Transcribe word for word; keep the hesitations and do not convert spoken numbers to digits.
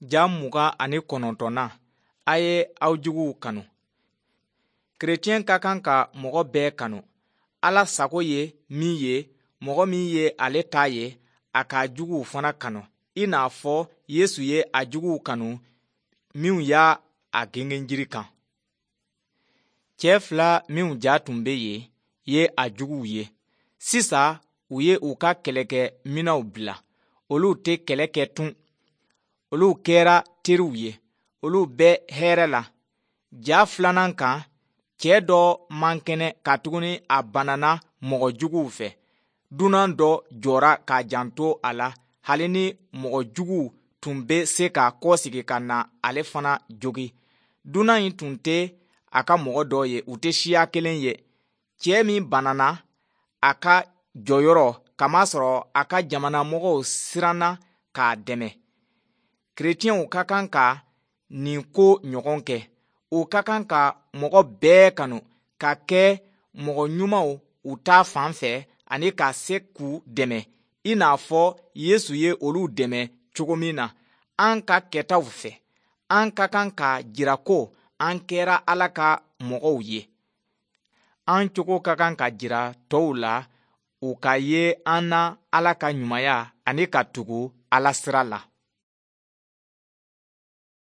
Ja mugan ani kɔnɔntɔnnan, a ye aw juguw kanu. Kerecɛn ka kan ka mɔgɔ bɛɛ kanu. Ala sago ye min ye, mɔgɔ min ye ale ta ye, a k'a juguw fana kanu, i n'a fɔ Yesu ye a juguw kanu minw y'a a gengenjiri kan. Cɛ fila minw ja tun bɛ yen ye a juguw ye. Sisan u ye u ka kɛlɛkɛ minɛnw bila, olu tɛ kɛlɛ kɛ tun. Olu kɛra teriw ye, olu bɛ hɛrɛ la. Ja filanan kan, cɛ dɔ man kɛnɛ katuguni a banana mɔgɔ juguw fɛ. Dunan dɔ jɔra k'a janto a la hali ni mɔgɔ juguw tun bɛ se ka kɔsegin ka na ale fana jogin. Dunan in tun tɛ a ka mɔgɔ dɔ ye, u tɛ siya kelen ye. Cɛ min banana a ka jɔyɔrɔ kamasɔrɔ a ka jamana mɔgɔw siranna k'a dɛmɛ. Kerecɛnw ka kan ka nin ko ɲɔgɔn kɛ. U ka kan ka mɔgɔ bɛɛ kanu, ka kɛ mɔgɔ ɲumanw u ta fan fɛ ani ka se k'u dɛmɛ i n'a fɔ Yesu ye olu dɛmɛ cogo min na. An ka kɛtaw fɛ, an ka kan k'a jira ko an kɛra Ala ka mɔgɔw ye. An cogo ka kan ka jira tɔw la u ka ye an na Ala ka ɲumanya ani ka tugu Ala sira la.